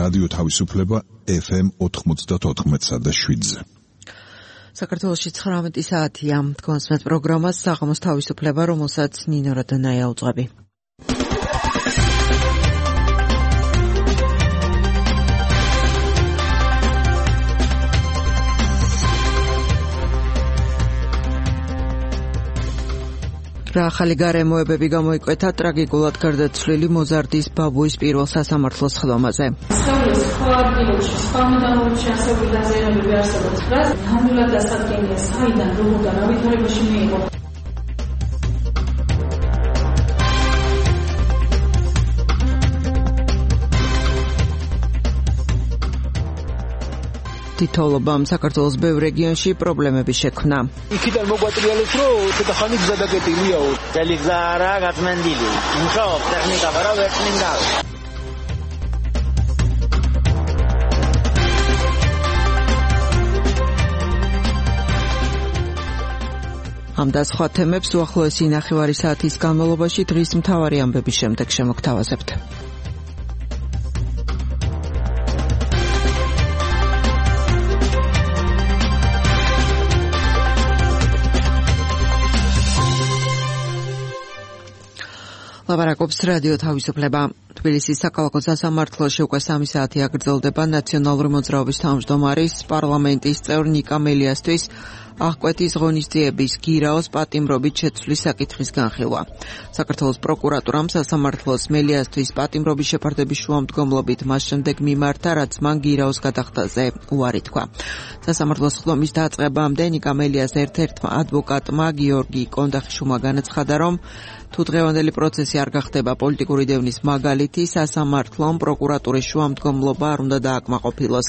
რადიო თავისუფლება FM 94.7-ზე. საქართველოში 19 საათია. თქვენს მე პროგრამას საღამოს თავისუფლება, რომელსაც ნინო რადანაია უძღვები. რა ახალი გარემოებები გამოიკვეთა ტრაგიკულად გარდაცვლილი მოზარდის ბაბუის პირველ სასამართლოს ხდომაზე. სწავლის სხვა ადგილებში, სხვა მიდამოებში ასეული დაზიანებები არსებობს. რაც ნამდვილად დასადგენია, საიდან, როგორ რა ვითარებაში მიიღო. თითოეულობამ საქართველოს ბევრ რეგიონში პრობლემები შექმნა. იქიდან მოგვატრიალეთ, რომ ცოტა ხანი გზა დაკეტილიაო. ძელი გზა არაა გაწმენდილი. მუშაობს ტექნიკა, არა ვერ წმინდავს. ამ და სხვა თემებს უახლოესი ნახევარი საათის განმავლობაში დღის მთავარი ამბების შემდეგ შემოგთავაზებთ. ლაპარაკობს რადიო თავისუფლება. თბილისის საქალაქო სასამართლოში უკვე 3 საათი აგრძელდება ნაციონალური მოძრაობის თავმჯდომარის პარლამენტის წევრ ნიკა მელიასთვის აღკვეთის ღონისძიების გირაოს პატიმრობით შეცვლის საკითხის განხილვა. საქართველოს პროკურატურამ სასამართლოს მელიასთვის პატიმრობის შეფარდების შუამდგომლობით მას შემდეგ მიმართა, რაც მან გირაოს გადახდაზე უარი თქვა. სასამართლოს ხდომის დაწყებამდე ნიკა მელიას ერთ-ერთმა ადვოკატმა გიორგი კონდახიშვილმა განაცხადა, რომ თუ დღევანდელი პროცესი არ გახდება პოლიტიკური დევნის მაგალითი, სასამართლომ პროკურატურის შუამდგომლობა არ უნდა დააკმაყოფილოს.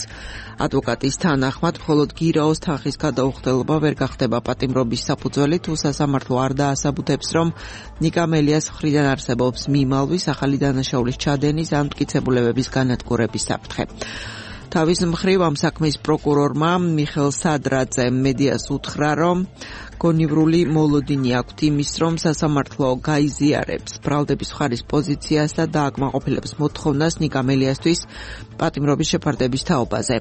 ადვოკატის თანახმად, მხოლოდ გირაოს თანხის გადაუხდელობა ვერ გახდება პატიმრობის საფუძველი, თუ სასამართლო არ დაასაბუთებს, რომ ნიკა მელიას მხრიდან არსებობს მიმალვის, ახალი დანაშაულის ჩადენის ან მტკიცებულებების განადგურების საფრთხე. თავის მხრივ ამ საქმის პროკურორმა მიხელ სადრაძემ მედიას უთხრა, რომ გონივრული მოლოდინი აქვთ იმის, რომ სასამართლო გაიზიარებს ბრალდების მხარის პოზიციას და დააკმაყოფილებს მოთხოვნას ნიკა მელიასთვის პატიმრობის შეფარდების თაობაზე.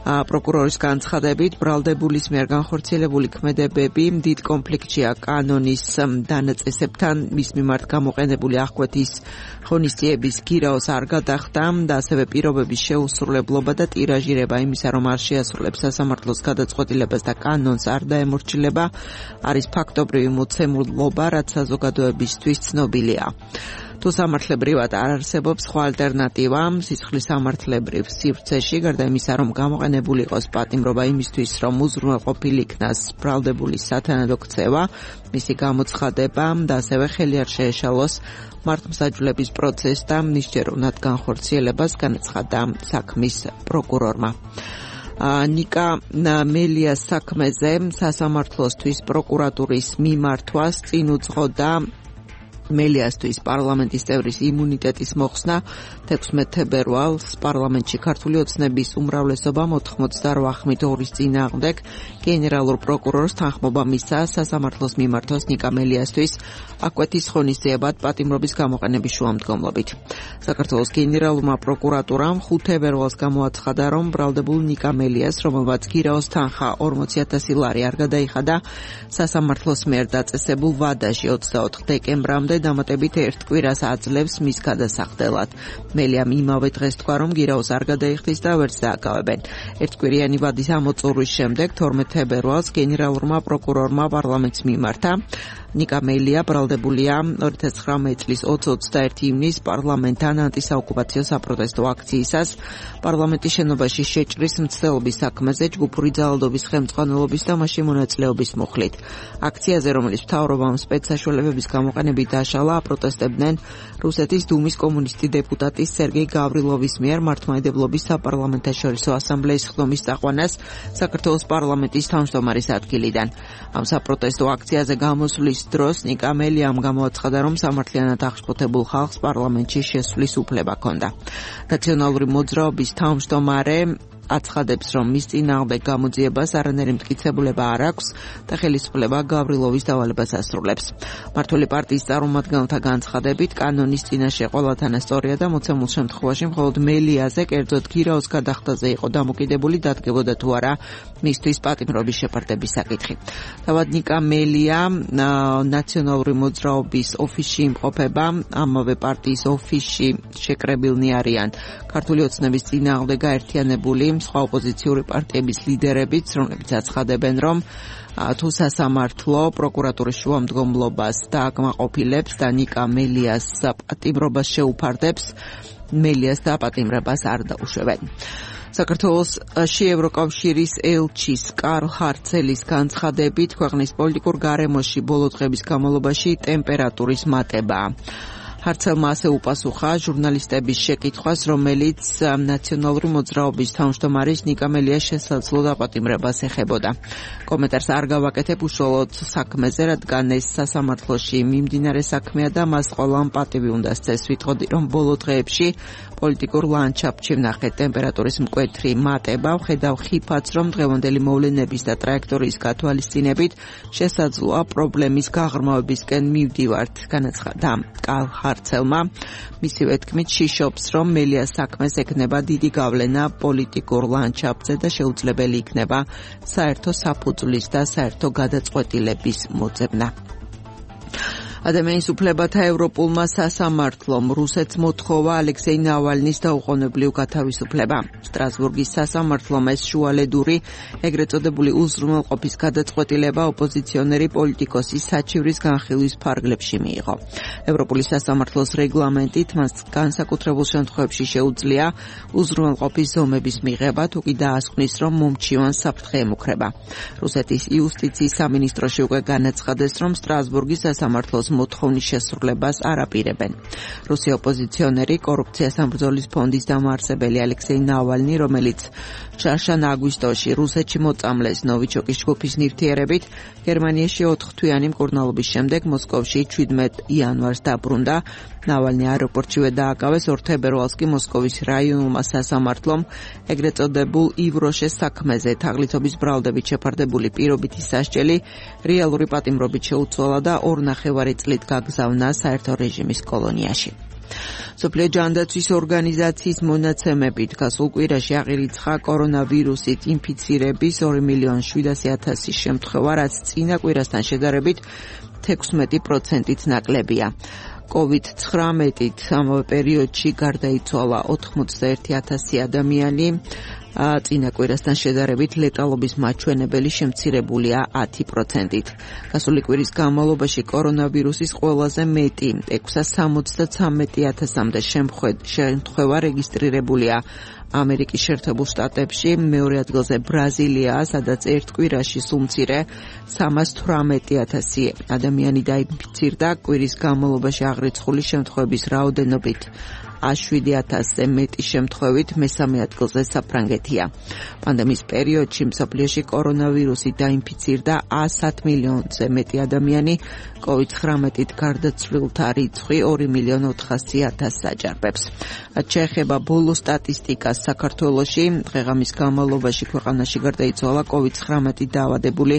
პროკურორის განცხადებით, ბრალდებულის მიერ განხორციელებული ქმედებები დიდ კონფლიქტშია კანონის დანაწესებთან, მის მიმართ გამოყენებული აღკვეთის ღონისძიების გირაოს არ გადახდა და ასევე პირობების შეუსრულებლობა და ტირაჟირება იმისა, რომ არ შეასრულებს სასამართლოს გადაწყვეტილებას და კანონს არ დაემორჩილება, არის ფაქტობრივი მოცემულობა, რაც საზოგადოებისთვის ცნობილია. თუ სამართლებრივად არ არსებობს სხვა ალტერნატივა სისხლის სამართლებრივ სივრცეში, გარდა იმისა, რომ გამოყენებული იყოს პატიმრობა იმისთვის, რომ უზრუნველყოფილი იქნას ბრალდებულის სათანადო ქცევა, მისი გამოცხადება და ასევე ხელი არ შეეშალოს მართლმსაჯულების პროცესს და მისჯეროვნად განხორციელებას, განაცხადა საქმის პროკურორმა. ნიკა მელიას საქმეზე სასამართლოსთვის პროკურატურის მიმართვას წინ უძღოდა მელიასთვის პარლამენტის წევრის იმუნიტეტის მოხსნა 16 თებერვალს პარლამენტში ქართული ოცნების უმრავლესობა 98-2-ის წინააღმდეგ გენერალურ პროკურორს თანხმობა მისცა სასამართლოს მიმართოს ნიკა მელიასთვის აღკვეთის ღონისძიებად პატიმრობის გამოყენების შუამდგომლობით. საქართველოს გენერალურმა პროკურატურამ 5 თებერვალს გამოაცხადა, რომ ბრალდებულ ნიკა მელიას, რომელმაც გირაოს თანხა 40,000 ლარი არ გადაიხადა, სასამართლოს მიერ დაწესებულ ვადაში 24 დეკემბრამდე დამატებით ერთ კვირას აძლევს მის გადასახდელად. მელიამ იმავე დღეს თქვა, რომ გირაოს არ გადაიხდის და ვერც დააკავებენ. ერთკვირიანი ვადის ამოწურვის შემდეგ 12 თებერვალს გენერალურმა პროკურორმა პარლამენტს მიმართა. ნიკა მელია ბრალდებულია 2019 წლის 20-21 ივნის პარლამენტთან ანტისაოკუპაციო საპროტესტო აქციისას პარლამენტის შენობაში შეჭრის მცდელობის საქმეზე ჯგუფური ძალადობის ხელმძღვანელობის და მასში მონაწილეობის მუხლით. აქციაზე, რომელიც მთავრობამ სპეცსაშუალებების გამოყენებით დაშალა, აპროტესტებდნენ რუსეთის დუმის კომუნისტი დეპუტატის სერგეი გავრილოვის მიერ მართლმადიდებლობის საპარლამენტაშორისო ასამბლეის ხდომის წაყვანას საქართველოს პარლამენტის თავმჯდომარის ადგილიდან. ამ საპროტესტო აქციაზე გამოსვლის დროს ნიკა მელიამ გამოაცხადა, რომ სამართლიანად აღშფოთებულ ხალხს პარლამენტში შესვლის უფლება ჰქონდა. ნაციონალური მოძრაობის თავმჯდომარე აცხადებს, რომ მის წინააღმდეგ გამოძიებას არანაირი მტკიცებულება არ აქვს და ხელისუფლება გავრილოვის დავალებას ასრულებს. მართული პარტიის წარმომადგენელთა განცხადებით, კანონის წინაშე ყველათან სწორია და მოცემულ შემთხვევაში მხოლოდ მელიაზე, კერძოდ გირაოს გადახდაზე იყო დამოკიდებული, დადგებოდა თუ არა მისთვის პატიმრობის შეფარდების საკითხი. თავად ნიკა მელია ნაციონალური მოძრაობის ოფისში იმყოფება, ამავე პარტიის ოფისში შეკრებილნი არიან ქართული ოცნების წინააღმდეგ გაერთიანებული სხვა ოპოზიციური პარტიების ლიდერებიც, რომლებიც აცხადებენ, რომ თუ სასამართლო პროკურატურის შუამდგომლობას დააკმაყოფილებს და ნიკა მელიას პატიმრობას შეუფარდებს, მელიას დაპატიმრებას არ დაუშვებენ. საქართველოში ევროკავშირის ელჩის კარლ ჰარცელის განცხადებით, ქვეყნის პოლიტიკურ გარემოში ბოლო დღების განმავლობაში ტემპერატურის მატებაა. ჰარცელმა ასე უპასუხა ჟურნალისტების შეკითხვას, რომელიც ნაციონალური მოძრაობის თავმჯდომარის ნიკა მელიას შესაძლო დაპატიმრებას ეხებოდა. კომენტარს არ გავაკეთებ უშუალოდ საქმეზე, რადგან ეს სასამართლოში მიმდინარე საქმეა და მას ყველა პატივი უნდა სცეს. ვიტყოდი, რომ ბოლო დღეებში პოლიტიკურ ლანდშაფტში ვნახეთ ტემპერატურის მკვეთრი მატება, ვხედავ ხიფათს, რომ დღევანდელი მოვლენების და ტრაექტორიის გათვალისწინებით შესაძლოა პრობლემის გაღრმავებისკენ მივდივართ, განაცხადა კარლ ჰარცელმა. მისივე თქმით, შიშობს, რომ მელიას საქმეს ექნება დიდი გავლენა პოლიტიკურ ლანდშაფტზე და შეუძლებელი იქნება საერთო საფუძვლის და საერთო გადაწყვეტილების მოძებნა. ადამიანის უფლებათა ევროპულმა სასამართლომ რუსეთს მოთხოვა ალექსეი ნავალნის დაუყოვნებლივ გათავისუფლება. სტრასბურგის სასამართლომ ეს შუალედური, ეგრეთ წოდებული უზრუნველყოფის გადაწყვეტილება ოპოზიციონერი პოლიტიკოსის საჩივრის განხილვის ფარგლებში მიიღო. ევროპული სასამართლოს რეგლამენტით მას განსაკუთრებულ შემთხვევებში შეუძლია უზრუნველყოფის ზომების მიღება, თუ კი დაასკვნის, რომ მომჩივან საფრთხე ემუქრება. რუსეთის იუსტიციის სამინისტროში უკვე განაცხადეს, რომ სტრასბურგის სასამართლოს მოთხოვნის შესრულებას არ აპირებენ. რუსი ოპოზიციონერი კორუფციასთან ბრძოლის ფონდის დამაარსებელი ალექსეი ნავალნი, რომელიც შარშან აგვისტოში რუსეთში მოწამლეს ნოვიჩოკის ჯგუფის ნივთიერებით, გერმანიაში 4 თვიანი მკურნალობის შემდეგ მოსკოვში 17 იანვარს დაბრუნდა. ნავალნი აეროპორტშივე დააკავეს, 2 თებერვალს კი მოსკოვის რაიონულმა სასამართლომ ეგრეთ წოდებულ ივროშეს საქმეზე თაღლითობის ბრალდებით შეფარდებული პირობითი სასჯელი რეალური პატიმრობით შეუცვალა და 2.5 წლით გაგზავნა საერთო რეჟიმის კოლონიაში. მსოფლიო ჯანდაცვის ორგანიზაციის მონაცემებით გასულ კვირაში აღირიცხა კორონავირუსით ინფიცირების 2.700.000 შემთხვევა, რაც წინა კვირასთან შედარებით 16%-ით ნაკლებია. COVID-19-ით ამავე პერიოდში გარდაიცვალა 81,000 ადამიანი, წინა კვირასთან შედარებით ლეტალობის მაჩვენებელი შემცირებულია 10%-ით. გასული კვირის განმავლობაში კორონავირუსის ყველაზე მეტი 673,000-მდე შემთხვევა რეგისტრირებულია ამერიკის შეერთებულ შტატებში, მეორე ადგილზე ბრაზილიაა, სადაც ერთ კვირაში სულ მცირე 318,000 ადამიანი დაინფიცირდა. კვირის განმავლობაში აღრიცხული შემთხვევების რაოდენობით 7,000-ზე მეტი შემთხვევით მესამე ადგილზე საფრანგეთია. პანდემიის პერიოდში მსოფლიოში კორონავირუსით დაინფიცირდა 100 მილიონზე მეტი ადამიანი, COVID-19-ით გარდაცვლილთა რიცხვი 2,400,000 აჯარბებს. რაც შეეხება ბოლო სტატისტიკას საქართველოში, დღე-ღამის განმავლობაში ქვეყანაში გარდაიცვალა COVID-19-ით დაავადებული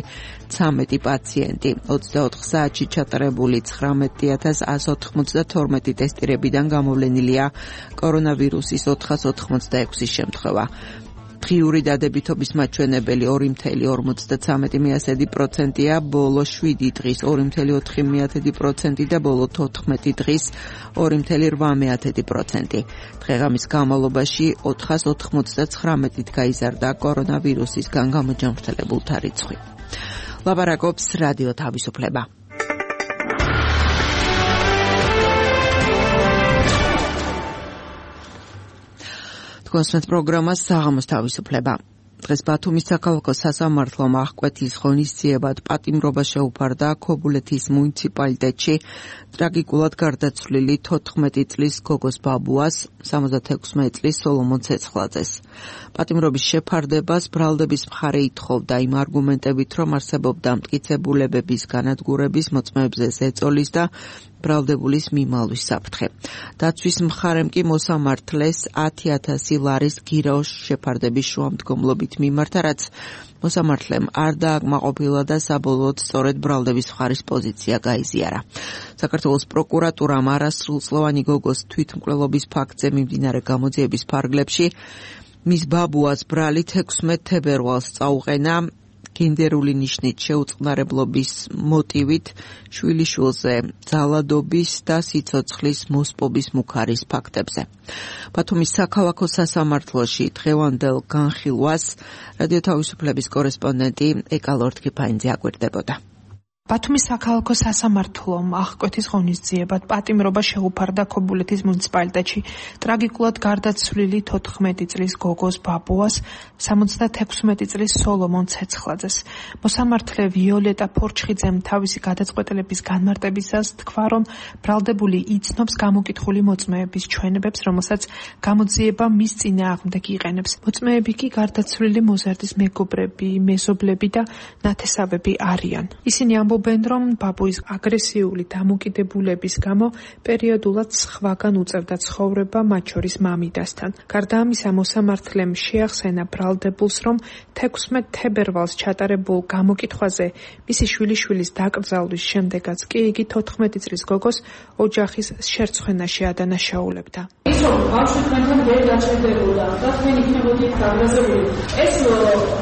13 პაციენტი. 24 საათში ჩატარებული 19,192 ტესტირებიდან გამოვლენილია კორონავირუსის 486 შემთხვევა. დღიური დადებითობის მაჩვენებელი 2,53%-ია, ბოლო 7 დღის 2,4% და ბოლო 14 დღის 2,8%. დღე-ღამის განმავლობაში 499-ით გაიზარდა კორონავირუსისგან გამოჯანმრთელებულთა რიცხვი. ლაპარაკობს რადიო თავისუფლება. გასვენთ პროგრამას საღამოს თავისუფლება. დღეს ბათუმის საქალაქო სასამართლომ აღკვეთის ღონისძიებად პატიმრობა შეუფარდა ქობულეთის მუნიციპალიტეტში ტრაგიკულად გარდაცვლილი 14 წლის გოგოს ბაბუას, 76 წლის სოლომონ ცეცხლაძეს. პატიმრობის შეფარდებას ბრალდების მხარე ითხოვდა იმ არგუმენტებით, რომ არსებობდა მტკიცებულებების განადგურების, მოწმეებზე ზეწოლის და ბრალდებულის მიმალვის საფრთხე. დაცვის მხარემ კი მოსამართლეს 10,000 ლარის გირაოს შეფარდების შუამდგომლობით მიმართა, რაც მოსამართლემ არ დააკმაყოფილა და საბოლოოდ სწორედ ბრალდების მხარის პოზიცია გაიზიარა. საქართველოს პროკურატურამ არასრულწლოვანი გოგოს თვითმკვლელობის ფაქტზე მიმდინარე გამოძიების ფარგლებში მის ბაბუას ბრალით 16 თებერვალს წაუყენა გენდერული ნიშნით შეუწყნარებლობის მოტივით შვილიშვილზე ძალადობის და სიცოცხლის მოსპობის მუქარის ფაქტებზე. ბათუმის საქალაქო სასამართლოში დღევანდელ განხილვას რადიო თავისუფლების კორესპონდენტი ეკა ლორთქიფაინძე აკვირდებოდა. ბათუმის საქალაქო სასამართლომ აღკვეთის ღონისძიებად პატიმრობა შეუფარდა ქობულეთის მუნიციპალიტეტში ტრაგიკულად გარდაცვლილი 14 წლის გოგოს ბაბუას, 76 წლის სოლომონ ცეცხლაძეს. მოსამართლე ვიოლეტა ფორჩხიძემ თავისი გადაწყვეტილების განმარტებისას თქვა, რომ ბრალდებული იცნობს გამოკითხული მოწმეების ჩვენებებს, რომელსაც გამოძიება მის წინააღმდეგ იყენებს. მოწმეები კი გარდაცვლილი მოზარდის მეგობრები, მეზობლები და ნათესავები არიან. ისინი ამბობენ, რომ ბაბუის აგრესიული დამოკიდებულების გამო პერიოდულად სხვაგან უწევდა ცხოვრება, მათ შორის მამიდასთან. გარდა ამისა, მოსამართლემ შეახსენა ბრალდებულს, რომ 16 თებერვალს ჩატარებულ გამოკითხვაზე მისი შვილიშვილის დაკრძალვის შემდეგაც კი იგი 14 წლის გოგოს ოჯახის შერცხვენაში ადანაშაულებდა. ის რომ ბავშვი თქვენთან ვერ დაჭერდებოდა და თქვენ იქნებოდით გაბრაზებული, ეს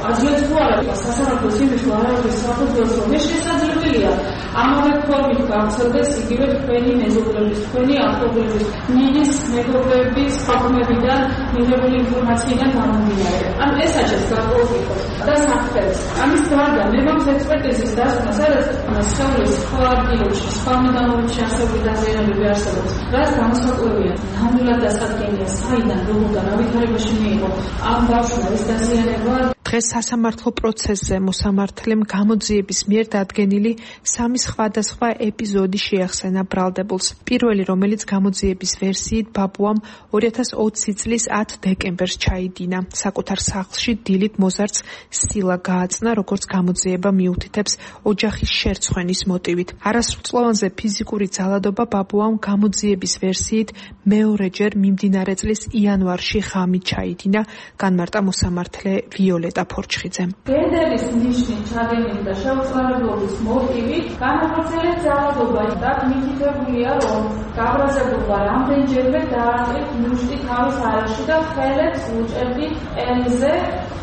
აძლევს თუ არა სასამართლოს იმის ვარაუდის საფუძველს, რომ ეს შესაძლებელია ამავე ფორმით გავრცელდეს იგივე თქვენი მეზობლების, თქვენი ახლობლების, მინის მეგობრების ხალხმებიდან მიღებული ინფორმაციიდან გამომდინარე. ანუ ეს აჩენს გარკვეულწილად და საფრთხეს. ამის გარდა მე მაქვს ექსპერტიზის დასკვნა, სადაც სხეულის სხვა ადგილებში, სხვა მიდამოებში არსებული დაზიანებები არსებობს, რაც გამოსაკვირია. ნამდვილად დასადგენია საიდან, როგორ ავითარებაში მიიღო ამ ბავშვმა ეს დაზიანება. დღეს სასამართლო პროცესზე მოსამართლემ გამოძიების მიერ დადგენილი 3 სხვადასხვა ეპიზოდი შეახსენა ბრალდებულს. პირველი, რომელიც გამოძიების ვერსიით ბაბუამ 2020 წლის 10 დეკემბერს ჩაიდინა. საკუთარ სახლში დილით მოზარდს სილა გააწნა, როგორც გამოძიება მიუთითებს ოჯახის შერცხვენის მოტივით. არასრულწლოვანზე ფიზიკური ძალადობა ბაბუამ გამოძიების ვერსიით მეორეჯერ მიმდინარე წლის იანვარში ღამით ჩაიდინა, განმარტა მოსამართლე ვიოლეტა ფორჩხიძემ. გენდერის ნიშნით ჩადენილი და შეუწყნარებლობის მოტივით განახორციელებს ძალადობა და მითითებულია, რომ გაბრაზებულმა რამდენჯერმე დაარტყით ნუშტი თავის არეში და ხელებს უჭერდი ყელზე.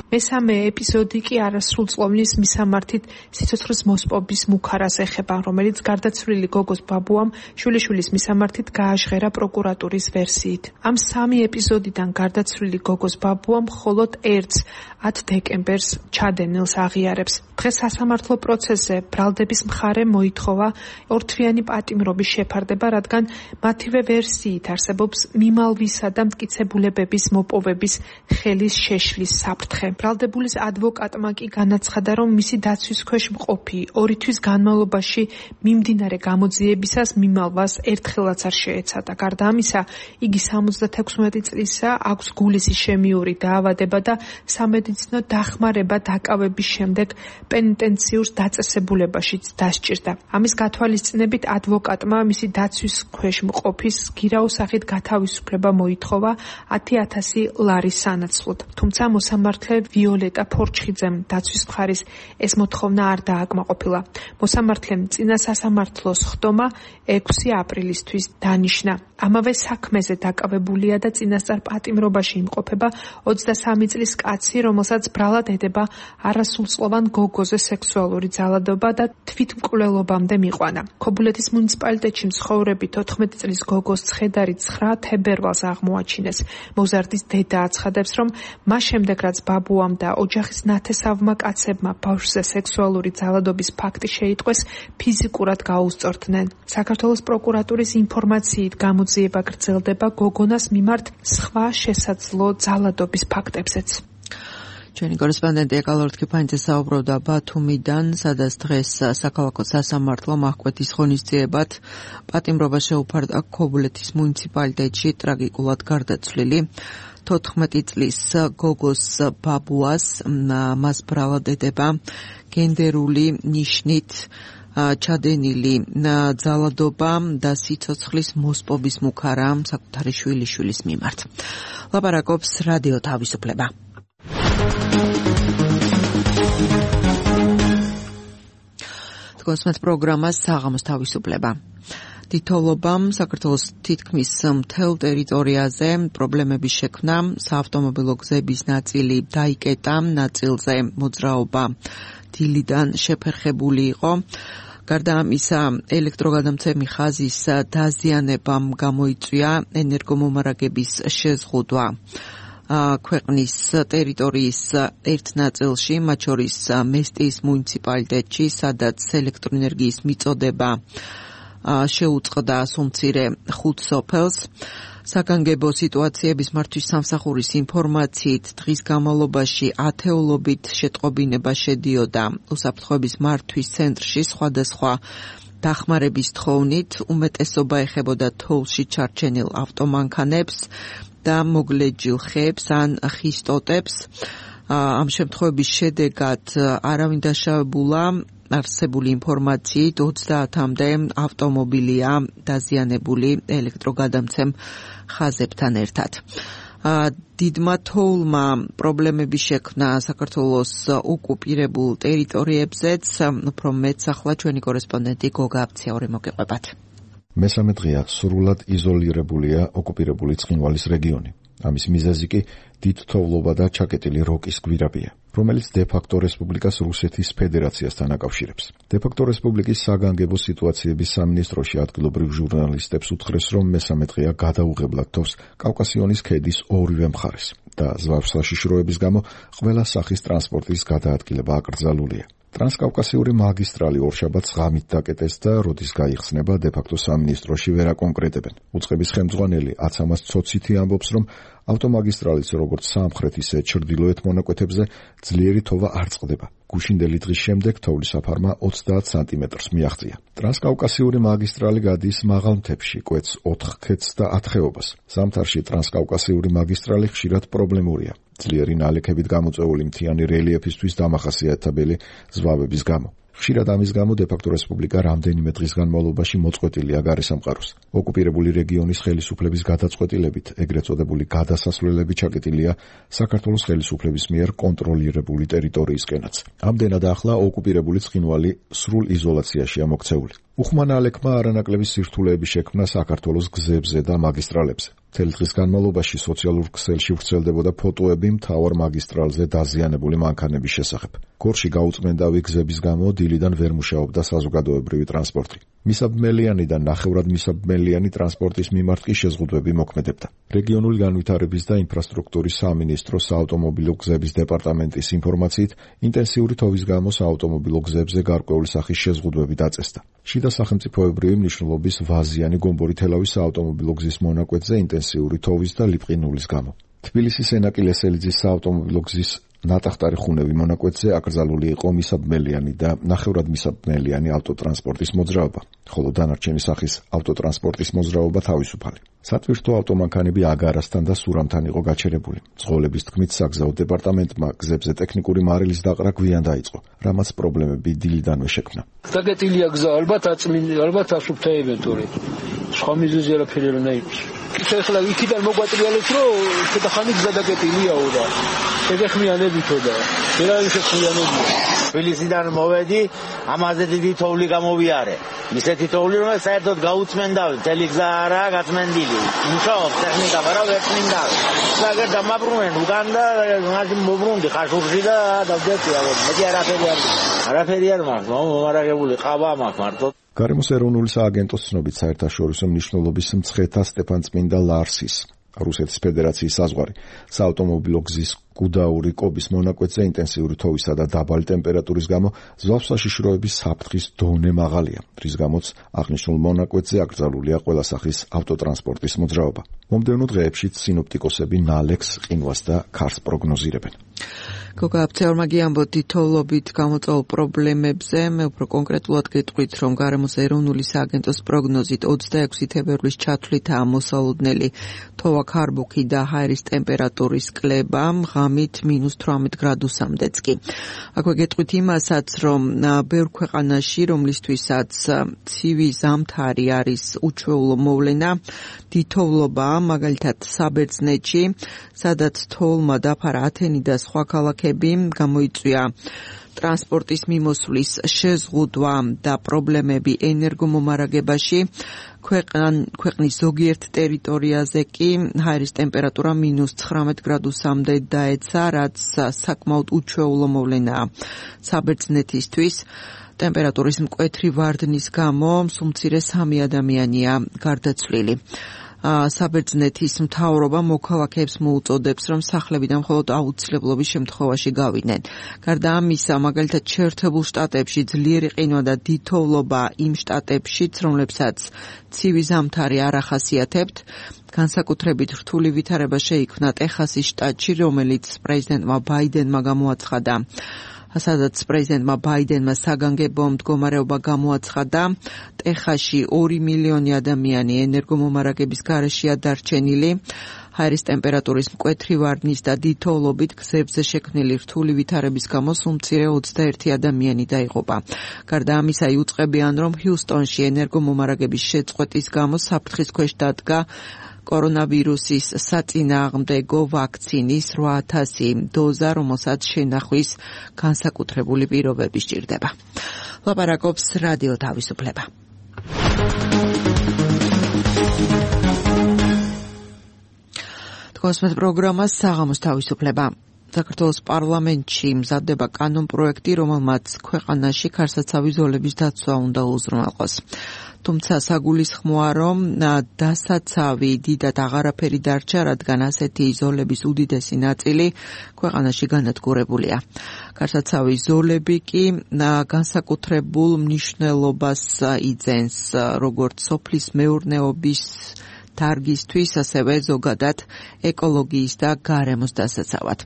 მესამე ეპიზოდი კი არასრულწლოვნის მისამართით სიცოცხლის მოსპობის მუქარას ეხება, რომელიც გარდაცვლილი გოგოს ბაბუამ შვილიშვილის მისამართით გააჟღერა პროკურატურის ვერსიით. ამ 3 ეპიზოდიდან გარდაცვლილი გოგოს ბაბუამ მხოლოდ ერთს 10 დეკემბერს ჩადენილს აღიარებს. დღეს სასამართლო პროცესზე ბრალდების მხარე მოითხოვა ორთვიანი პატიმრობის შეფარდება, რადგან მათივე ვერსიით არსებობს მიმალვისა და მტკიცებულებების მოპოვების ხელის შეშლის საფრთხე. ბრალდებულის ადვოკატმა კი განაცხადა, რომ მისი დაცვის ქვეშ მყოფი 2 თვის განმავლობაში მიმდინარე გამოძიებისას მიმალვას ერთხელაც არ შეეცადა. გარდა ამისა, იგი 76 წლისა, აქვს გულის ისემიური დაავადება და სამედიცინო დახმარება დაკავების შემდეგ პენიტენციურ დაწესებულებაშიც დასჭირდა. ამის გათვალისწინებით ადვოკატმა მისი დაცვის ქვეშ მყოფის გირაოს სახით გათავისუფლება მოითხოვა 10,000 ლარის სანაცვლოდ. თუმცა მოსამართლე ვიოლეტა ფორჩხიძემ დაცვის მხარის ეს მოთხოვნა არ დააკმაყოფილა. მოსამართლემ წინა სასამართლოს ხდომა 6 აპრილისთვის დანიშნა. ამავე საქმეზე დაკავებულია და წინასწარ პატიმრობაში იმყოფება 23 წლის კაცი, რომელსაც ბრალად ედება არასრულწლოვან გოგოზე სექსუალური ძალადობა და თვითმკვლელობამდე მიყვანა. ქობულეთის მუნიციპალიტეტში მცხოვრები 14 წლის გოგოს ცხედარი 9 თებერვალს აღმოაჩინეს. მოზარდის დედა აცხადებს, რომ მას შემდეგ რაც ბაბუამ და ოჯახის ნათესავმა კაცებმა ბავშვზე სექსუალური ძალადობის ფაქტი შეიტყვეს, ფიზიკურად გაუსწორდნენ. საქართველოს პროკურატურის ინფორმაციით გამოძიება გრძელდება გოგონას მიმართ სხვა შესაძლო ძალადობის ფაქტებზეც. ჩვენი კორესპონდენტი ეკალორთქიფანიძე საუბრობდა ბათუმიდან, სადაც დღეს საქალაქო სასამართლო მაჰკვეთის ღონისძიებად პატიმრობა შეუფარდა ქობულეთის მუნიციპალიტეტში ტრაგიკულად გარდაცვლილი 14 წლის გოგოს ბაბუას. მას ბრალად ედება გენდერული ნიშნით ჩადენილი ძალადობა და სიცოცხლის მოსპობის მუქარა საკუთარი შვილიშვილის მიმართ. ლაპარაკობს რადიო თავისუფლება. თქვენს პროგრამას საღამოს თავისუფლება. თითოეულობამ საქართველოს თითქმის მთელ ტერიტორიაზე პრობლემების შექმნა, საავტომობილო გზების ნაწილი დაიკეტა, ნაწილზე მოძრაობა დილიდან შეფერხებული იყო. გარდა ამისა, ელექტროგადამცემი ხაზის დაზიანებამ გამოიწვია ენერგომომარაგების შეზღუდვა ქვეყნის ტერიტორიის ერთ ნაწილში, მათ შორის მესტიის მუნიციპალიტეტში, სადაც ელექტროენერგიის მიწოდება შეუწყდა სუმცირე 5 სოფელს. საგანგებო სიტუაციების მართვის სამსახურის ინფორმაციით დღის განმავლობაში ათეულობით შეტყობინება შედიოდა უსაფრთხოების მართვის ცენტრში სხვადასხვა დახმარების თხოვნით. უმეტესობა ეხებოდა თოვლში ჩარჩენილ ავტომანქანებს და მოგლეჯილ ხეებს ან ხის ტოტებს. ამ შემთხვევების შედეგად არავინ დაშავებულა. არსებული ინფორმაციით 30-მდე ავტომობილია დაზიანებული ელექტროგადამცემ ხაზებთან ერთად. დიდმა თოვლმა პრობლემები შექმნა საქართველოს ოკუპირებულ ტერიტორიებზეც. უფრო მეც ახლა ჩვენი კორესპონდენტი გოგა აფციაური მოგეყვებათ. მესამე დღეა სრულად იზოლირებულია ოკუპირებული ცხინვალის რეგიონი. ამის მიზეზი კი დიდ თოვლობა და ჩაკეტილი როკის გვირაბია, რომელიც დე-ფაქტო რესპუბლიკას რუსეთის ფედერაციასთან აკავშირებს. დე-ფაქტო რესპუბლიკის საგანგებო სიტუაციების სამინისტროში ადგილობრივ ჟურნალისტებს უთხრეს, რომ მესამე დღეა გადაუღებლად თავს კავკასიონის ქედის ორივე მხარეს და ზვავს საშიშროების გამო ყველა სახის ტრანსპორტის გადაადგილება აკრძალულია. ტრანსკავკასიური მაგისტრალი ორშაბათს ღამით დაკეტეს და როდის გაიხსნება დე-ფაქტო სამინისტროში ვერ აკონკრეტებენ. უწყების ხელმძღვანელი აცამას ცოცითი ამბობს, რომ ავტომაგისტრალის როგორც სამხრეთ ისე ჩრდილოეთ მონაკვეთებზე ძლიერი თოვა არ წყდება. გუშინდელი დღის შემდეგ თოვლის საფარმა 30 სანტიმეტრს მიაღწია. ტრანსკავკასიური მაგისტრალი გადის მაღალ მთებში, კვეთს 4 ქედს და 10 ხეობას. ზამთარში ტრანსკავკასიური მაგისტრალი ხშირად პრობლემურია. ძლიერი ნალექებით გამოწვეული მთიანი რელიეფისთვის დამახასიათებელი ზვავების გამო. ხშირად ამის გამო დე-ფაქტო რესპუბლიკა რამდენიმე დღის განმავლობაში მოწყვეტილია გარესამყაროს. ოკუპირებული რეგიონის ხელისუფლების გადაწყვეტილებით ეგრეთ წოდებული გადასასვლელები ჩაკეტილია საქართველოს ხელისუფლების მიერ კონტროლირებული ტერიტორიისკენაც. ამდენად ახლა ოკუპირებული ცხინვალი სრულ იზოლაციაშია მოქცეული. უხმან ალექმა არანაკლები სირთულეები შექმნა საქართველოს გზებზე და მაგისტრალებზე. მთელი დღის განმავლობაში სოციალურ ქსელში ვრცელდებოდა ფოტოები მთავარ მაგისტრალზე დაზიანებული მანქანების შესახებ. გორში გაუწმენდავი გზების გამო დილიდან ვერ მუშაობდა საზოგადოებრივი ტრანსპორტი. მისაბმელიანი და ნახევრად მისაბმელიანი ტრანსპორტის მიმართ კი შეზღუდვები მოქმედებდა. რეგიონული განვითარების და ინფრასტრუქტურის სამინისტროს საავტომობილო გზების დეპარტამენტის ინფორმაციით, ინტენსიური თოვის გამო საავტომობილო გზებზე გარკვეული სახის შეზღუდვები დაწესდა. შიდა სახელმწიფოებრივი მნიშვნელობის ვაზიანი გომბორი-თელავის საავტომობილო გზის მონაკვეთზე ინტენსიური თოვის და ლიპყინულის გამო. თბილისის ენაკი-ლესელიძის საავტომობილო გზის ნატახტარი ხუნევი მონაკვეთზე აკრძალული იყო მისაბმელიანი და ნახევრად მისაბმელიანი ავტოტრანსპორტის მოძრაობა, ხოლო დანარჩენი სახის ავტოტრანსპორტის მოძრაობა თავისუფალი. სატვირთო ავტომანქანები აგარასთან და სურამთან იყო გაჩერებული. წყოლების თქმით, საგზაო დეპარტამენტმა გზებზე ტექნიკური მარილის დაყრა გვიან დაიწყო, რამაც პრობლემები დილიდანვე შექმნა. დაგეტილია გზა, ალბათ ასუფთა ევენტური. სხვა მიზეზი არაფერი არ უნდა იყოს. ეხლა იქიდან მოგვატრიალეთ, რომ შედახანი გზა დაგეტილიაო და შეგეხმიანებითო და ვერ არის შეხმიანებითო. თბილისიდან მოვედი, ამაზე დიდი თოვლი გამოვიარე. ისეთი თოვლი, რომ საერთოდ გაუწმენდავი, მთელი გზა არაა გაწმენდილი. მუშაობს ტექნიკა, მაგრამ ვერ წმინდავი. საგერ დამაბრუნენ უკან და მაშინ მოbrunდი ხაშურში და დავდეწი, მეტი არაფერი არ მაქვს, მომარაგებული ყავა მაქვს მარტო. გარემოს ეროვნული სააგენტოს ცნობით საერთაშორისო მნიშვნელობის მცხეთა სტეფანწმინდა ლარსის რუსეთის ფედერაციის საზღვარი საავტომობილო გზის გუდაური, კობის მონაკვეთზე ინტენსიური თოვისა და დაბალი ტემპერატურის გამო ზვავსაშიშროების საფრთხის დონე მაღალია, რის გამოც აღნიშნულ მონაკვეთზე აკრძალულია ყველა სახის ავტოტრანსპორტის მოძრაობა. მომდევნო დღეებშიც სინოპტიკოსები ნალექს, ყინვას და ქარს პროგნოზირებენ. გოგა აფცეორმაგი ამბობთ თითოეულობით გამოწვეულ პრობლემებზე, მე უფრო კონკრეტულად გეტყვით, რომ გარემოს ეროვნული სააგენტოს პროგნოზით 26 თებერვლის ჩათვლითაა მოსალოდნელი თოვა-ქარბუქი და ჰაერის ტემპერატურის კლება, ღამით -18 გრადუსამდეც კი. აქვე გეტყვით იმასაც, რომ ბევრ ქვეყანაში, რომლისთვისაც ცივი ზამთარი არის უჩვეულო მოვლენა, თითოეულობაა, მაგალითად საბერძნეთში, სადაც თოვლმა დაფარა ათენი და სხვა ქალაქები, გამოიწვია ტრანსპორტის მიმოსვლის შეზღუდვა და პრობლემები ენერგომომარაგებაში. ქვეყნის ზოგიერთ ტერიტორიაზე კი ჰაერის ტემპერატურა -19 გრადუსამდე დაეცა, რაც საკმაოდ უჩვეულო მოვლენაა საბერძნეთისთვის. ტემპერატურის მკვეთრი ვარდნის გამო სულ მცირე 3 ადამიანია გარდაცვლილი. საბერძნეთის მთავრობა მოქალაქეებს მოუწოდებს, რომ სახლებიდან მხოლოდ აუცილებლობის შემთხვევაში გავიდნენ. გარდა ამისა, მაგალითად, შეერთებულ შტატებში ძლიერი ყინვა და თითოეულობა იმ შტატებშიც, რომლებსაც ცივი ზამთარი არ ახასიათებთ, განსაკუთრებით რთული ვითარება შეიქმნა ტეხასის შტატში, რომელიც პრეზიდენტმა ბაიდენმა გამოაცხადა. სადაც პრეზიდენტმა ბაიდენმა საგანგებო მდგომარეობა გამოაცხადა, ტეხასში 2 მილიონი ადამიანი ენერგომომარაგების გარეშეა დარჩენილი. ჰაერის ტემპერატურის მკვეთრი ვარდნის და თითოეულობით გზებზე შექმნილი რთული ვითარების გამო სულ-მცირე 21 ადამიანი დაიღუპა. გარდა ამისა, იუწყებიან, რომ ჰიუსტონში ენერგომომარაგების შეწყვეტის გამო საფრთხის ქვეშ დადგა კორონავირუსის საწინააღმდეგო ვაქცინის 8,000 დოზა, რომელსაც შენახვის განსაკუთრებული პირობები სჭირდება. ლაპარაკობს რადიო თავისუფლება. თქვენს პროგრამას საღამოს თავისუფლება. საქართველოს პარლამენტში მზადდება კანონპროექტი, რომელმაც ქვეყანაში ქარსაცავი ზოლების დაცვა უნდა უზრუნველყოს. თუმცა საგულისხმოა, რომ დასაცავი დიდად აღარაფერი დარჩა, რადგან ასეთი ზოლების უდიდესი ნაწილი ქვეყანაში განადგურებულია. ქარსაცავი ზოლები კი განსაკუთრებულ მნიშვნელობას იძენს როგორც სოფლის მეურნეობის დარგისთვის, ასევე ზოგადად ეკოლოგიის და გარემოს დასაცავად.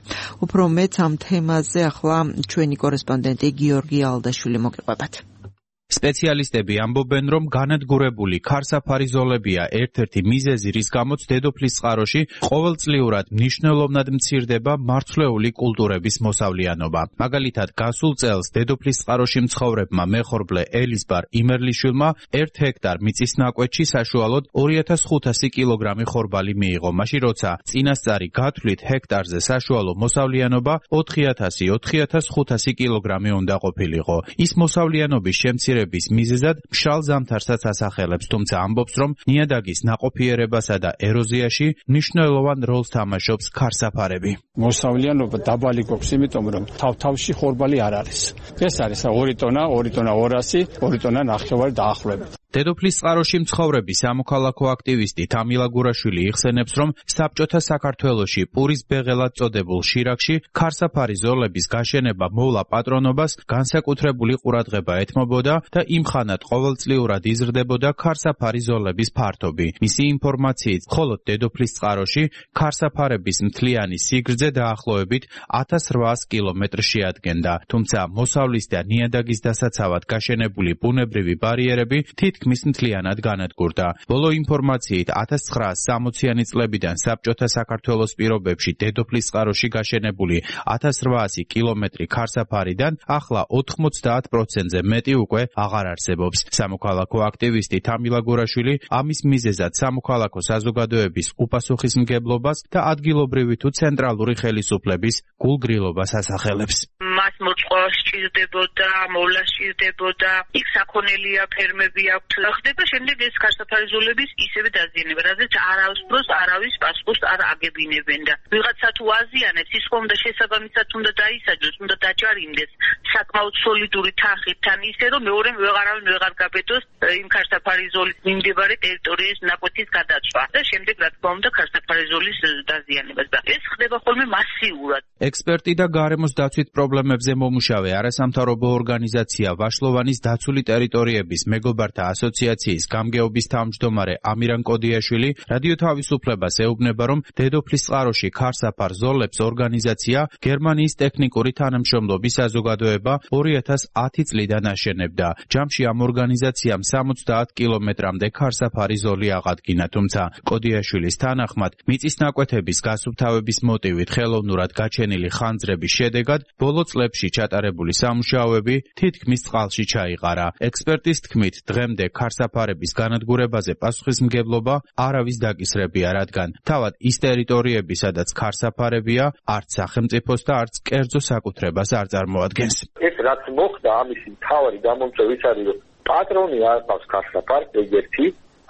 უფრო მეც ამ თემაზე ახლა ჩვენი კორესპონდენტი გიორგი ალდაშვილი მოგიყვებათ. სპეციალისტები ამბობენ, რომ განადგურებული ქარსაფარი ზოლებია ერთ-ერთი მიზეზი, რის გამოც დედოფლის წყაროში ყოველწლიურად მნიშვნელოვნად მცირდება მარცვლეული კულტურების მოსავლიანობა. მაგალითად, გასულ წელს დედოფლის წყაროში მცხოვრებმა მეხორბლე ელიზბარ იმერლიშვილმა 1 ჰექტარ მიწის ნაკვეთში საშუალოდ 2500 კილოგრამი ხორბალი მიიღო, მაშინ როცა წინასწარი გათვლით ჰექტარზე საშუალო მოსავლიანობა 4000-4500 კილოგრამი უნდა ყოფილიყო. ის მოსავლიანობის შემცირება მიზეზად მშრალ ზამთარსაც ასახელებს, თუმცა ამბობს, რომ ნიადაგის ნაყოფიერებასა და ეროზიაში მნიშვნელოვან როლს თამაშობს ქარსაფარები. მოსავლიანობა დაბალი გვაქვს, იმიტომ რომ თავში ხორბალი არ არის. ეს არის 2 ტონა, 2 ტონა 200, 2 ტონა ნახევარი დაახლოებით. დედოფლის წყაროში მცხოვრები სამოქალაქო აქტივისტი თამილა გურაშვილი იხსენებს, რომ საბჭოთა საქართველოში პურის ბეღელად წოდებულ შირაქში ქარსაფარი ზოლების გაშენება მოვლა პატრონობას განსაკუთრებული ყურადღება ეთმობოდა და იმხანად ყოველწლიურად იზრდებოდა ქარსაფარი ზოლების ფართობი. მისი ინფორმაციით, მხოლოდ დედოფლის წყაროში ქარსაფარების მთლიანი სიგრძე დაახლოებით 1800 კილომეტრს შეადგენდა, თუმცა მოსავლის და ნიადაგის დასაცავად გაშენებული ბუნებრივი ბარიერები თითქმის მთლიანად განადგურდა. ბოლო ინფორმაციით 1960-იანი წლებიდან საბჭოთა საქართველოს პირობებში დედოფლის წყაროში გაშენებული 1800 კილომეტრი ქარსაფარიდან ახლა 90%-ზე მეტი უკვე აღარ არსებობს. სამოქალაქო აქტივისტი თამილა გურაშვილი ამის მიზეზად სამოქალაქო საზოგადოების უპასუხისმგებლობას და ადგილობრივი თუ ცენტრალური ხელისუფლების გულგრილობას ასახელებს. მას მოწყვა სჭირდებოდა, მოვლა სჭირდებოდა, იქ საქონელია, ფერმები აქვთ. ხდება შემდეგ ეს ქარსაფარი ზოლების ისევე დაზიანება, რადგან არავის დროს არავის პასპორტს არ აგებინებენ და ვიღაცა თუ აზიანებს, ის ხომ და შესაბამისად უნდა დაისაჯოს, უნდა დაჯარიმდეს საკმაოდ სოლიდური თანხით, თან ისე რომ მეორე ვეღარავინ ვეღარ გაბედოს იმ ქარსაფარი ზოლის მიმდებარე ტერიტორიის ნაკვეთის გადაცვა და შემდეგ რა თქმა უნდა ქარსაფარი ზოლის დაზიანებას და ეს ხდება ხოლმე მასიურად. ექსპერტი და გარემოს დაცვით პრობლემებზე მომუშავე არასამთავრობო ორგანიზაცია ვაშლოვანის დაცული ტერიტორიების მეგობართა ასოციაციის გამგეობის თავმჯდომარე ამირან კოდიაშვილი რადიო თავისუფლებას ეუბნება, რომ დედოფლის წყაროში ქარსაფარ ზოლებს ორგანიზაცია გერმანიის ტექნიკური თანამშრომლობის საზოგადოება 2010 წლიდან აშენებდა. ჯამში ამ ორგანიზაციამ 70 კილომეტრამდე ქარსაფარი ზოლი აღადგინა, თუმცა კოდიაშვილის თანახმად მიწის ნაკვეთების გასუფთავების მოტივით ხელოვნურად გაჩენილი ხანძრების შედეგად ბოლო წლებში ჩატარებული სამუშაოები თითქმის წყალში ჩაიყარა. ექსპერტის თქმით, დღემდე ქარსაფარების განადგურებაზე პასუხისმგებლობა არავის დაკისრებია, რადგან თავად ის ტერიტორიები, სადაც ქარსაფარებია, არც სახელმწიფოს და არც კერძო საკუთრებას არ წარმოადგენს. ეს რაც მოხდა, ამის მთავარი გამომწვევი ის არის, რომ პატრონი არ ყავს ქარსაფარს, ეგერთი,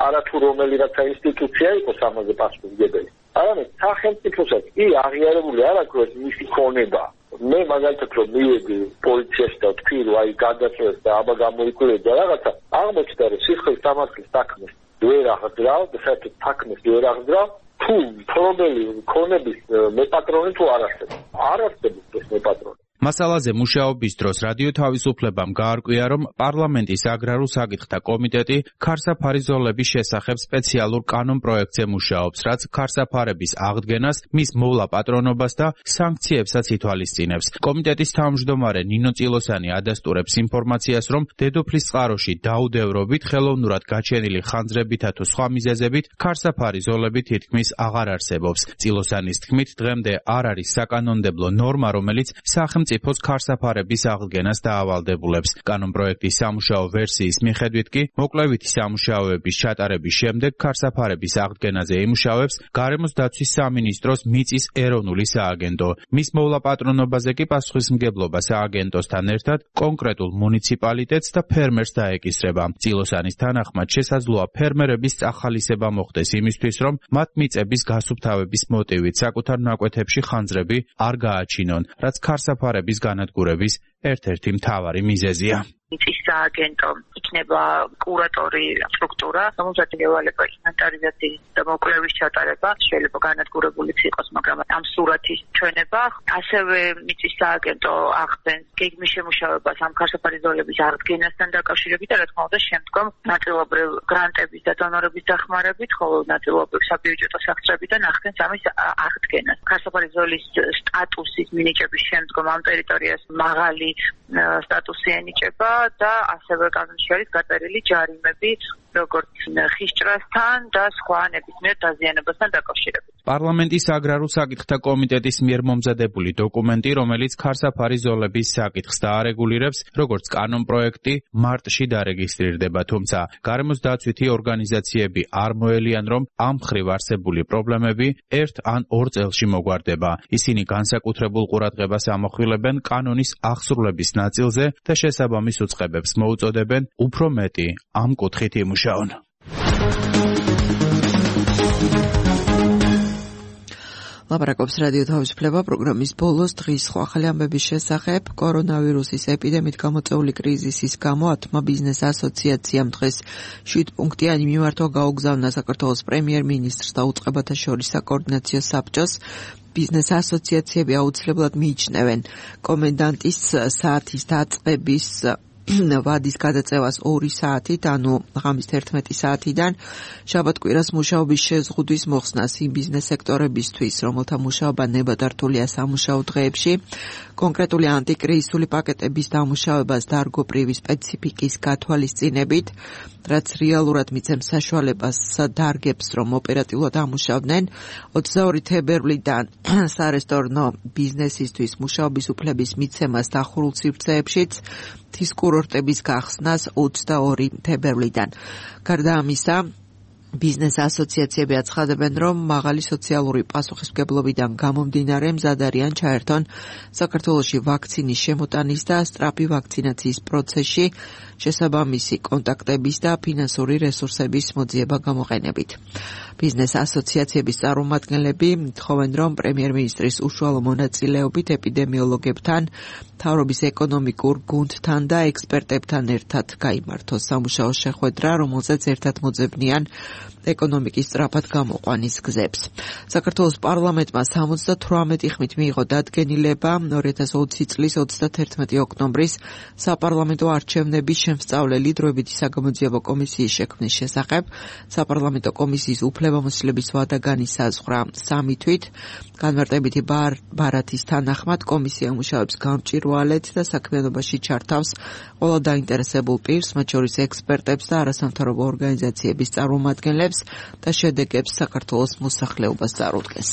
არათუ რომელი რაცა ინსტიტუცია იყოს ამაზე პასუხისმგებელი. არამედ სახელმწიფოსაც კი აღიარებული არ აქვს მისი ქონება. მე მაგალითად რომ მივედი პოლიციაში და ვთქვი, რომ აი გადაწყვეტ და აბა გამოიკვირდა რაღაცა, აღმოჩნდა რომ სისხლის სამართლის საქმეს ვერ აღძრავ და საერთოდ საქმეს ვერ აღძრავ, თუ პრობლემი ქონების მეპატრონი თუ არ არსებობს. არ არსებობს ეს მეპატრონი. მასალაზე მუშაობის დროს რადიო თავისუფლებამ გაარკვია, რომ პარლამენტის აგრარულ საკითხთა კომიტეტი ქარსაფარი ზოლების შესახებ სპეციალურ კანონპროექტზე მუშაობს, რაც ქარსაფარების აღდგენას, მის მოვლა პატრონობას და სანქციებსაც ითვალისწინებს. კომიტეტის თავმჯდომარე ნინო წილოსანი ადასტურებს ინფორმაციას, რომ დედოფლის წყაროში დაუდევრობით, ხელოვნურად გაჩენილი ხანძრებითა თუ სხვა მიზეზებით ქარსაფარი ზოლები თითქმის აღარ არსებობს. წილოსანის თქმით, დღემდე არ არის საკანონმდებლო ნორმა, რომელიც სახელმწიფოს ქარსაფარების აღდგენას დაავალდებულებს. კანონპროექტის სამუშაო ვერსიის მიხედვით კი მოკლებითი სამუშაოების ჩატარების შემდეგ ქარსაფარების აღდგენაზე იმუშავებს გარემოს დაცვის სამინისტროს მიწის ეროვნული სააგენტო. მის მოვლა პატრონობაზე კი პასუხისმგებლობა სააგენტოსთან ერთად კონკრეტულ მუნიციპალიტეტს და ფერმერს დაეკისრება. წილოსანის თანახმად შესაძლოა ფერმერების წახალისება მოხდეს იმისთვის, რომ მათ მიწების გასუფთავების მოტივით საკუთარ ნაკვეთებში ხანძრები არ გააჩინონ, რაც ქარსაფარების განადგურების ერთ-ერთი მთავარი მიზეზია. მიწის სააგენტო იქნება კურატორი სტრუქტურა, რომელსაც ევალება ინვენტარიზაციის და მოკვლევის ჩატარება, შეიძლება განადგურებულიც იყოს, მაგრამ ამ სურათის ჩვენება, ასევე მიწის სააგენტო ახდენს გეგმის შემუშავებას ამ ქარსაფარი ზოლების აღდგენასთან დაკავშირებით და რა თქმა უნდა შემდგომ ნაწილობრივ გრანტების და დონორების დახმარებით, ხოლო ნაწილობრივ საბიუჯეტო სახსრებიდან ახდენს ამის აღდგენას. ქარსაფარი ზოლის სტატუსის მინიჭების შემდგომ ამ ტერიტორიას მაღალი სტატუსი ენიჭება და ასევე კანონში არის გაწერილი ჯარიმები, როგორც ხისჭრასთან და სხვა ნებისმიერ დაზიანებასთან დაკავშირებით. პარლამენტის აგრარულ საკითხთა კომიტეტის მიერ მომზადებული დოკუმენტი, რომელიც ქარსაფარი ზოლების საკითხს დაარეგულირებს, როგორც კანონპროექტი, მარტში დარეგისტრირდება, თუმცა გარემოს დაცვითი ორგანიზაციები არ მოელიან, რომ ამ მხრივ არსებული პრობლემები ერთ ან ორ წელში მოგვარდება. ისინი განსაკუთრებულ ყურადღებას ამახვილებენ კანონის აღსრულების ნაწილზე და შესაბამის უწყებებს მოუწოდებენ უფრო მეტი ამ კუთხით იმუშაონ. ლაპარაკობს რადიო თავისუფლება პროგრამის ბოლოს დღის სხვა ახალი ამბების შესახებ. კორონავირუსის ეპიდემიით გამოწვეული კრიზისის გამო ათმა ბიზნეს ასოციაციამ დღეს 7 პუნქტიანი მიმართვა გაუგზავნა საქართველოს პრემიერ-მინისტრს და უწყებათა შორის საკოორდინაციო საბჭოს. ბიზნეს ასოციაციები აუცილებლად მიიჩნევენ კომენდანტის საათის დაწყების ვადის გადაწევას 2 საათით, ანუ ღამის 11 საათიდან შაბათ-კვირას მუშაობის შეზღუდვის მოხსნას იმ ბიზნეს სექტორებისთვის, რომელთა მუშაობა ნებადართულია სამუშაო დღეებში, კონკრეტული ანტიკრიზისული პაკეტების დამუშავებას დარგობრივი სპეციფიკის გათვალისწინებით, რაც რეალურად მიცემს საშუალებას დარგებს, რომ ოპერატიულად ამუშავდნენ. 22 თებერვლიდან სარესტორნო ბიზნესისთვის მუშაობის უფლების მიცემას დახურულ სივრცეებშიც, მთის კურორტების გახსნას 22 თებერვლიდან. გარდა ამისა, ბიზნეს ასოციაციები აცხადებენ, რომ მაღალი სოციალური პასუხისმგებლობიდან გამომდინარე მზად არიან ჩაერთონ საქართველოში ვაქცინის შემოტანის და სწრაფი ვაქცინაციის პროცესში შესაბამისი კონტაქტების და ფინანსური რესურსების მოძიება გამოყენებით. ბიზნეს ასოციაციების წარმომადგენლები თხოვენ, რომ პრემიერ-მინისტრის უშუალო მონაწილეობით ეპიდემიოლოგებთან, მთავრობის ეკონომიკურ გუნდთან და ექსპერტებთან ერთად გაიმართოს სამუშაო შეხვედრა, რომელზეც ერთად მოძებნიან ეკონომიკის სწრაფად გამოყვანის გზებს. საქართველოს პარლამენტმა 78 ხმით მიიღო დადგენილება 2020 წლის 31 ოქტომბრის საპარლამენტო არჩევნების შემსწავლელი დროებითი საგამოძიებო კომისიის შექმნის შესახებ. საპარლამენტო კომისიის უფლებამოსილების ვადა განისაზღვრა 3 თვით. განმარტებითი ბარათის თანახმად კომისია მუშაობს გამჭვირვალედ და საქმიანობაში ჩართავს ყველა დაინტერესებულ პირს, მათ შორის ექსპერტებს და არასამთავრობო ორგანიზაციების წარმომადგენლებს და შედეგებს საქართველოს მოსახლეობას წარუდგენს.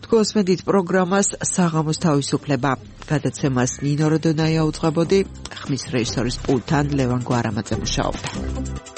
თქვენს მედით პროგრამას საღამოს თავისუფლება. გადაცემას ნინო როდონაია უძღვებოდი, ხმის რეჟისორის პულტთან ლევან გვარამაძე მუშაობდა.